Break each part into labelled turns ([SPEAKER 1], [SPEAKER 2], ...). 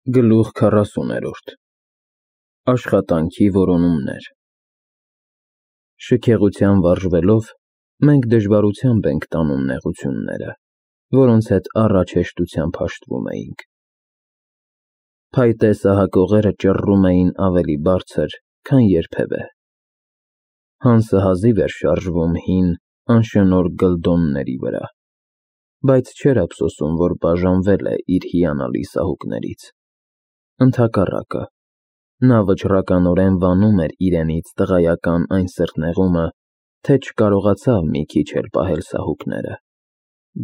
[SPEAKER 1] Գլուխ 40-րդ Աշխատանքի որոնումներ Շքեղության վարժվելով, մենք դժվարությամբ ենք տանում նեղությունները, որոնց հետ առաջ հեշտությամբ հաշտվում էինք։ Փայտե սահակողերը ճռռում էին ավելի բարձր, քան երբևէ։ Հանսը հազիվ էր շարժվում հին, անշնորհ գլդոնների վրա, բայց չէր ափսոսում, որ բաժանվել է իր հիանալի սահուկներից։ Ընդհակառակը, նա վճռականորեն վանում էր իրենից տղայական այն սրտնեղումը, թե չկարողացավ մի քիչ էլ պահել սահուկները,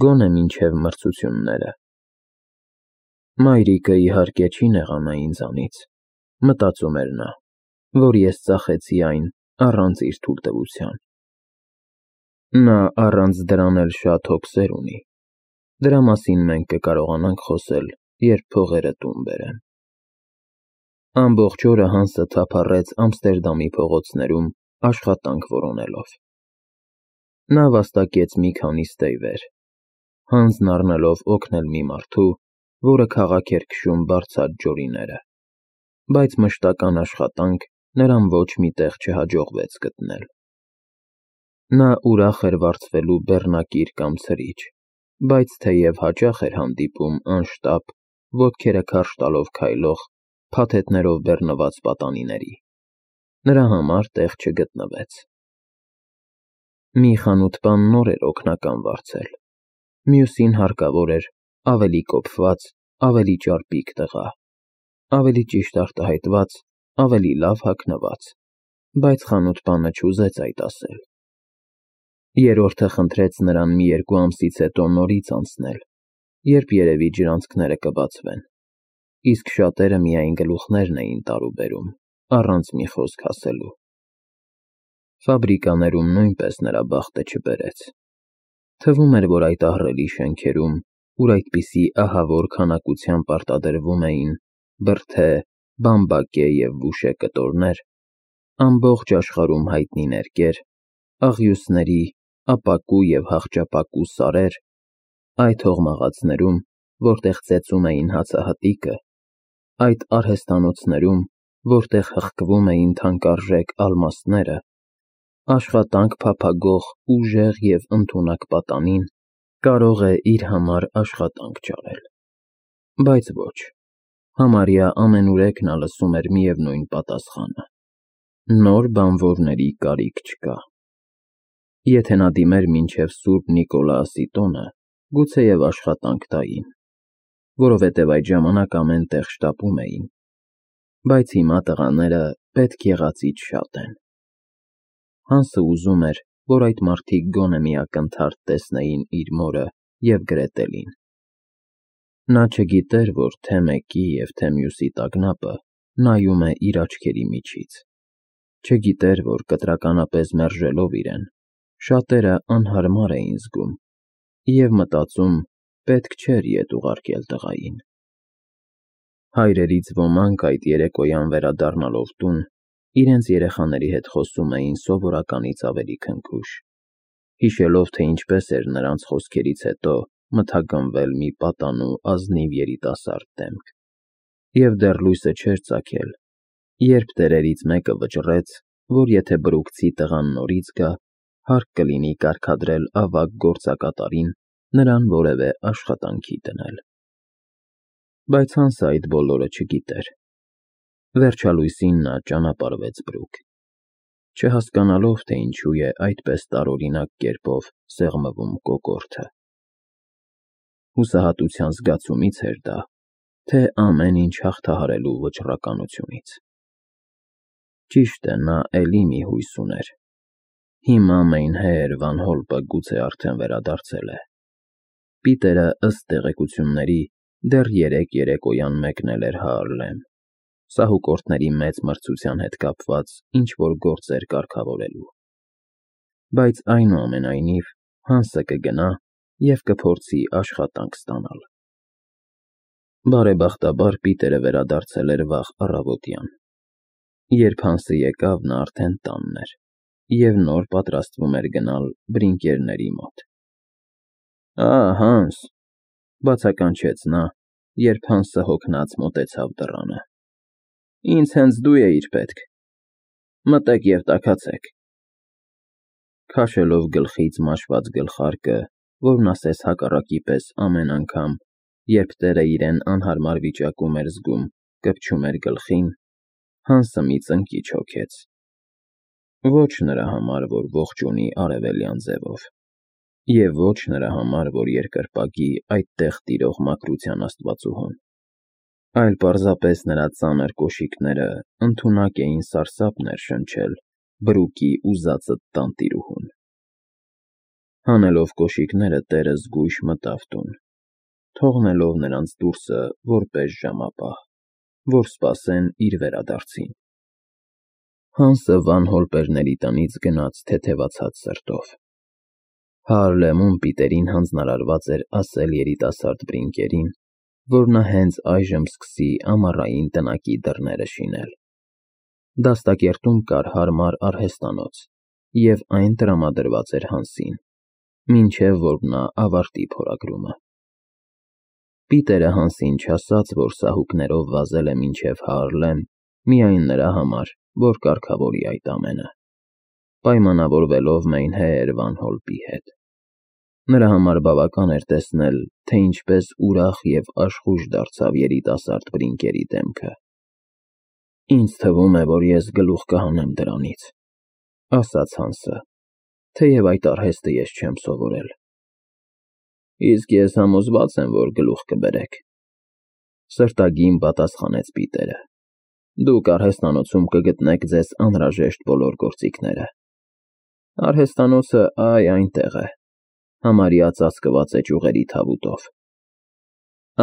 [SPEAKER 1] գոնե մինչև մրցությունները։ Մայրիկը, իհարկե, չի նեղանա ինձանից, մտածում էր նա, որ ես ծախեցի այն առանց իր թույլտվության։ Նա առանց դրան էլ շատ հոգսեր ունի, դրա մասին մենք կկարողանանք խոսել, երբ փողերը տուն բերեմ։ Ամբողջ օրը Հանսը թափառեց Ամստերդամի փողոցներում աշխատանք որոնելով։ Նա վաստակեց մի քանի ստեյվեր, հանձն առնելով օգնել մի մարդու, որը քաղաք էր քշում բարձած ջորիները, բայց մշտական աշխատանք նրան ոչ մի տեղ չհաջողվեց գտնել։ Նա ուրախ էր վարձվելու բեռնակիր կամ ցրիչ, բայց թեև հաճախ էր հանդիպում անշտապ, ոտքերը քարշ տալով քայլող, փաթեթներով բեռնված պատանիների, նրա համար տեղ չգտնվեց։ Մի խանութպան նոր էր օգնական վարձել, մյուսին հարկավոր էր ավելի կոփված, ավելի ճարպիկ տղա, ավելի ճիշտ արտահայտված, ավելի լավ հագնված, բայց խանութպանը չուզեց այդ ասել։ Երրորդը խնդրեց նրան մի 2 ամսից հետո նորից անցնել, երբ երևի ջրանցքները կբացվեն, իսկ շատերը միայն գլուխներն էին տարուբերում, առանց մի խոսք ասելու։ Ֆաբրիկաներում նույնպես նրա բախտը չբերեց։ Թվում էր, որ այդ ահռելի շենքերում, ուր այդպիսի ահավոր քանակությամբ արտադրվում էին բրդե, բամբակե և բուշե կտորներ, ամբողջ աշխարհում հայտնի ներկեր, աղյուսների, ապակու և հախճապակու սարեր, այդ հողմաղացներում, որտեղ ծեծում էին հացահատիկը, այդ արհեստանոցներում, որտեղ հղկվում էին թանկարժեք ալմաստները, աշխատանք փափագող ուժեղ և ընդունակ պատանին կարող է իր համար աշխատանք ճարել։ Բայց ոչ, համարյա ամենուրեք նա լսում էր միևնույն պատասխանը. նոր բանվորների կարիք չկա։ Եթե նա դիմեր մինչև Սուրբ Նիկոլաասի տոնը, գուցեև աշխատանք տային, որովհետև այդ ժամանակ ամեն տեղ շտապում էին, բայց հիմա տղաները պետք եղածից շատ են։ Հանսը ուզում էր, որ այդ մարդիկ գոնե մի ակնթարթ տեսնեին իր մորը և Գրետելին։ Նա չգիտեր, որ թե մեկի և թե մյուսի տագնապը նայում է իր աչքերի միջից, չգիտեր, որ կտրականապես մերժելով իրեն, շատերը անհարմար էին զգում և մտածում պետք չէր ետ ուղարկել տղային։ Հայրերից ոմանք այդ երեկոյան վերադառնալով տուն, իրենց երեխաների հետ խոսում էին սովորականից ավելի քնքուշ, հիշելով, թե ինչպես էր նրանց խոսքերից հետո մթագնվել մի պատանու ազնիվ երիտասարդ դեմք, և դեռ լույսը չէր ծագել, երբ տերերից մեկը վճռեց, որ եթե բրուկցի տղան նորից գա, հարկ կլինի կարգադրել ավագ գործակատարին նրան որևէ աշխատանքի դնել։ Բայց Հանսը այդ բոլորը չգիտեր։ Վերջալույսին նա ճանապարհվեց բրուկ, չհասկանալով, թե ինչու է այդպես տարօրինակ կերպով սեղմվում կոկորդը։ Հուսահատության զգացումից էր դա, թե ամեն ինչ հաղթահարելու վճռականությունից։ Ճիշտ է, նա էլի մի հույս ուներ։ Հիմա Մեյնհեեր Վան Հոլպը գուցե արդեն վերադարձել է։ Պիտերը, ըստ տեղեկությունների, դեռ երեկոյան մեկնել էր Հաառլեմ, սահուկորդների մեծ մրցության հետ կապված ինչ-որ գործեր կարգավորելու։ Բայց այնուամենայնիվ Հանսը կգնա և կփորձի աշխատանք ստանալ։ Բարեբախտաբար Պիտերը վերադարձել էր վաղ առավոտյան։ Երբ Հանսը եկավ, նա արդեն տանն էր և նոր պատրաստվում էր գնալ բրինկերների մոտ։ «Ա, Հանս,» բացականչեց նա, երբ Հանսը հոգնած մոտեցավ դռանը։ Ինձ հենց դու էիր պետք։ Մտեք և տաքացեք։ Քաշելով գլխից մաշված գլխարկը, որն ասես հակառակի պես ամեն անգամ, երբ տեղը իրեն անհարմար վիճակում էր զգում, կպչում էր գլխին, Հանսը մի ծնկիչ հոգեց։ Ոչ նրա համար, որ ողջ ունի արևելյան ձևով, և ոչ նրա համար, որ երկրպագի այդտեղ տիրող մաքրության աստվածուհուն, այլ պարզապես նրա ծանր կոշիկները ընդունակ էին սարսափ ներշնչել բրուկի ուզածդ տանտիրուհուն։ Հանելով կոշիկները տերը զգույշ մտավ տուն, թողնելով նրանց դուրսը որպես ժամապահ, որ սպասեն իր վերադարձին։ Հանսը Վան Հոլպերների տնից գնաց թեթևացած սրտով։ Հարլեմում Պիտերին հանձնարարված էր ասել երիտասարդ Բրինկերին, որ նա հենց այժմ սկսի ամառային տնակի դռները շինել։ Դաստակերտում կար հարմար արհեստանոց, և այն տրամադրված էր Հանսին, մինչև որ նա ավարտի փորագրումը։ Պիտերը Հանսին չասաց, որ սահուկներով վազել է մինչև Հարլեմ միայն նրա համար, որ կարգավորի այդ ամենը, պայմանավորվելով Մեյնհեեր Վան Հոլպի հետ։ Նրա համար բավական էր տեսնել, թե ինչպես ուրախ և աշխույժ դարձավ երիտասարդ Բրինկերի դեմքը։ «Ինձ թվում է, որ ես գլուխ կհանեմ դրանից», ասաց Հանսը, թեև այդ արհեստը ես չեմ սովորել։ Իսկ ես համոզված եմ, որ գլուխ կբերեք, սրտագին պատասխանեց Պիտերը։ Դուք արհեստանոցում կգտնեք ձեզ անհրաժեշտ բոլոր գործիքները։ Արհեստանոցը այնտեղ է, համարյա ծածկված է ճյուղերի թավուտով։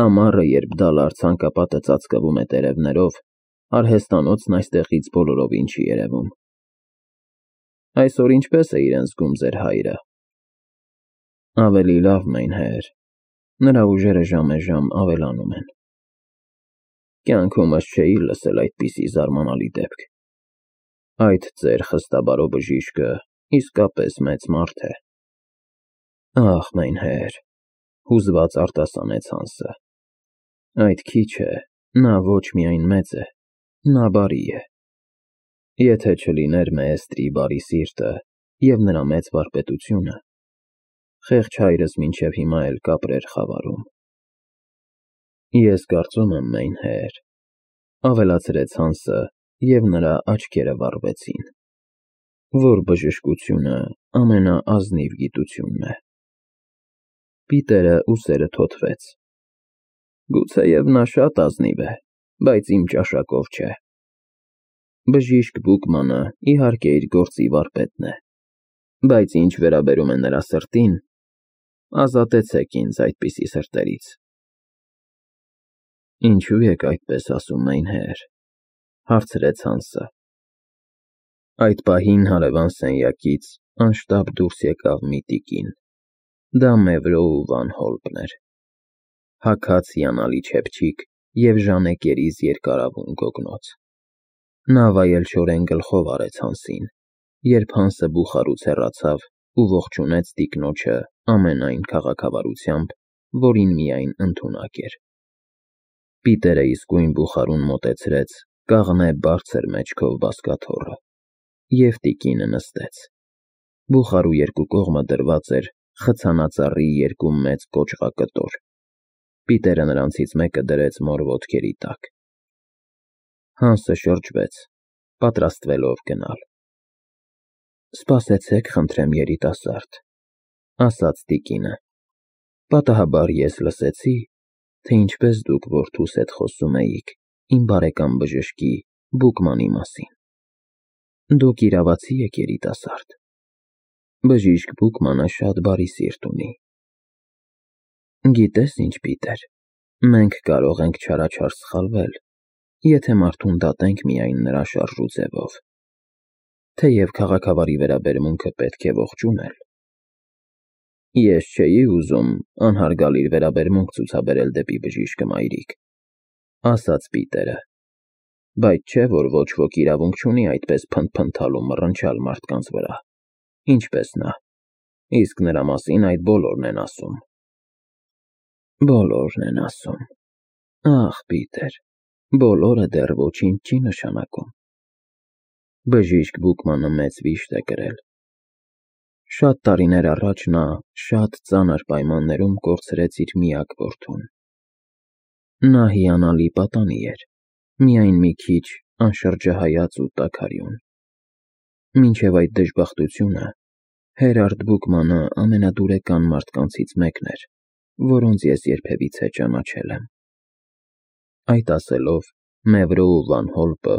[SPEAKER 1] Ամառը, երբ դալար ցանկապատը ծածկվում է տերևներով, արհեստանոցն այստեղից բոլորովին չի երևում։ Այսօր ինչպե՞ս է իրեն զգում ձեր հայրը։ Ավելի լավ, Մեյնհեեր, նրա ուժերը ժամեժամ ավելանում են։ Կյանքումս չէի լսել այդպիսի զարմանալի դեպք։ Այդ ծեր խստաբարո բժիշկը իսկապես մեծ մարդ է։ Ախ, Մեյնհեեր, հուզված արտասանեց Հանսը։ Այդ քիչ է, նա ոչ միայն մեծ է, նա բարի է։ Եթե չլիներ Մեեստրի բարի սիրտը և նրա մեծ վարպետությունը, խեղճ հայրս մինչև հիմա էլ կապրեր խավարում։ Ես կարծում եմ, Մեյնհեեր, ավելացրեց Հանսը, և նրա աչքերը վառվեցին, որ բժշկությունը ամենաազնիվ գիտությունն է։ Պիտերը ուսերը թոթվեց։ Գուցեև նա շատ ազնիվ է, բայց իմ ճաշակով չէ։ Բժիշկ Բուկմանը իհարկե իր գործի վարպետն է, բայց ինչ վերաբերում է նրա սրտին, ազատեցեք ինձ այդպիսի սրտերից։ Ինչու եք այդպես ասում, Մեյնհեեր, հարցրեց Հանսը։ Այդ պահին հարևան սենյակից անշտապ դուրս եկավ մի տիկին։ Դա Մևրոու Վան Հոլպն էր։ Հագած հիանալի չեպչիկ և ժանեկերիս երկարավուն գոգնոց։ Նա վայելչորեն գլխով արեց Հանսին, երբ Հանսը բուխարուց հեռացավ ու ողջունեց տիկնոջը ամենայն քաղաքավարությամբ, որին միայն ընդունակ էր։ Պիտերը իսկույն բուխարուն մոտեցրեց կաղնե բարձր մեջքով բազկաթոռը, և տիկինը նստեց։ Բուխարու երկու կողմը դրված էր խցանածառի երկու մեծ կոճղակտոր։ Պիտերը նրանցից մեկը դրեց մոր ոտքերի տակ։ Հանսը շրջվեց, պատրաստվելով գնալ։ Սպասեցեք, խնդրեմ, երիտասարդ, ասաց տիկինը։ Պատահաբար ես լսեցի, թե ինչպես դուք որդուս հետ խոսում էիք իմ բարեկամ բժշկի Բուկմանի մասին։ Դուք իրավացի եք, երիտասարդ։ Բժիշկ Բուկմանը շատ բարի սիրտ ունի։ Գիտես ինչ, Պիտեր, մենք կարող ենք չարաչար սխալվել, եթե մարդուն դատենք միայն նրա շարժու ձևով, թեև քաղաքավարի վերաբերմունքը պետք է ողջունել։ Ես չէի ուզում անհարգալից վերաբերմունք ցուցաբերել դեպի բժիշկը մայրիկ, ասաց Պիտերը, բայց չէ, որ ոչ ոք իրավունք չունի այդպես փնթփնթալ ու մռնչալ մարդկանց վրա, ինչպես նա, իսկ նրա մասին այդ բոլորն են ասում։ Բոլորն են ասում, Ախ, Պիտեր, բոլորը դեռ ոչինչ չի նշանակում։ Բժիշկ Բուկմանը մեծ վիշտ է կրել։ Շատ տարիներ առաջ նա շատ ծանր պայմաններում կորցրեց իր միակ որդուն։ Նա հիանալի պատանի էր, միայն մի քիչ անշրջահայաց ու տաքարյուն։ Մինչև այդ դժբախտությունը Հերարդ Բուկմանը ամենադուրեկան մարդկանցից մեկն էր, որոնց ես երբևիցե ճանաչել եմ։ Այդ ասելով, Մևրոու Վան Հոլպը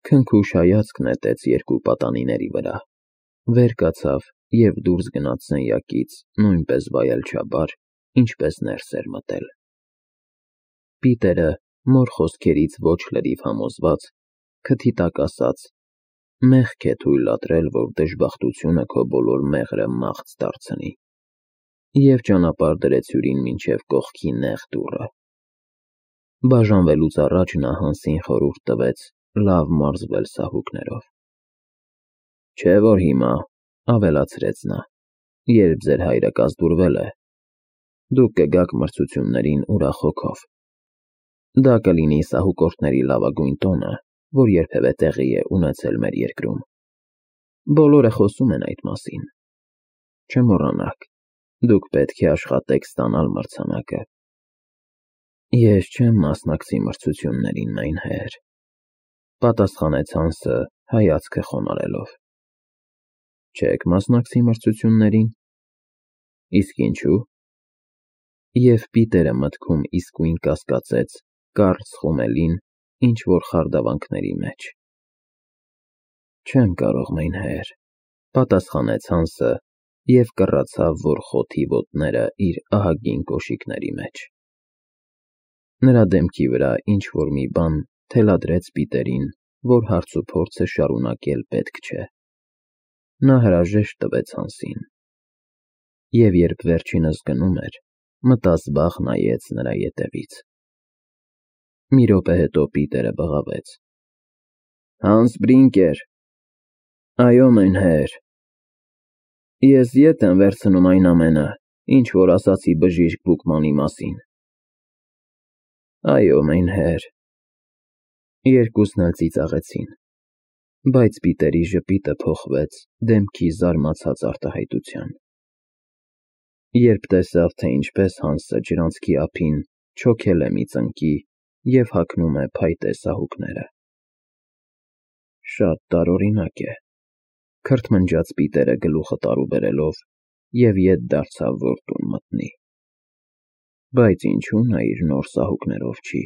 [SPEAKER 1] քնքուշ հայացք նետեց երկու պատանիների վրա, վեր կացավ և դուրս գնաց սենյակից նույնպես վայելչաբար, ինչպես ներս էր մտել։ Պիտերը, մոր խոսքերից ոչ լրիվ համոզված, քթի տակ ասաց. «Մեղք է թույլատրել, որ դժբախտությունը քո բոլոր մեղրը մաղց դարձնի», և ճանապարհ դրեց հյուրին մինչև կողքի նեղ դուռը։ Բաժանվելուց առաջ նա Հանսին խորհուրդ տվեց լավ մարզվել սահուկներով։ «Չէ՞ որ հիմա», ավելացրեց նա, «երբ ձեր հայրը կազդուրվել է, դուք կգաք մրցություններին ուրախ հոգով։ Դա կլինի սահուկորդների լավագույն տոնը, որ երբևէ տեղի է ունեցել մեր երկրում։ Բոլորը խոսում են այդ մասին։ Չմոռանաք, դուք պետք է աշխատեք ստանալ մրցանակը»։ «Ես չեմ մասնակցի մրցություններին, մայնհեր», պատասխանեց Հանսը հայացքը խոնարհելով։ «Չեք մասնակցի մրցություններին։ Իսկ ինչու՞»։ Եվ Պիտերը մտքում իսկույն կասկածեց կարճ խումելին ինչ-որ խարդավանքների մեջ։ «Չեմ կարող, մայնհեր», պատասխանեց Հանսը և կռացավ, որ խոթի ոտները իր ահագին կոշիկների մեջ։ Նրա դեմքի վրա ինչ-որ մի բան թելադրեց Պիտերին, որ հարցուփորձը շարունակել պետք չէ։ Նա հրաժեշտ տվեց Հանսին։ Եվ երբ վերջինս գնում էր, մտազբաղ նայեց նրա ետևից։ Մի րոպե հետո Պիտերը բղավեց. «Հանս Բրինկեր»։ «Այո, մայնհեր»։ «Ես ետ եմ վերցնում այն ամենը, ինչ որ ասացի բժիշկ Բուկմանի մասին»։ «Այո, մայնհեր»։ Երկուսն էլ ծիծաղեցին, բայց Պիտերի ժպիտը փոխվեց դեմքի զարմացած արտահայտության, երբ տեսավ, թե ինչպես Հանսը ջրանցքի ափին չոքել է մի ծնկի և հագնում է փայտե սահուկները։ «Շատ տարօրինակ է», քրթմնջաց Պիտերը գլուխը տարու բերելով և ետ դարձավ, որ տուն մտնի։ «Բայց ինչու նա իր նոր սահուկներով չի»։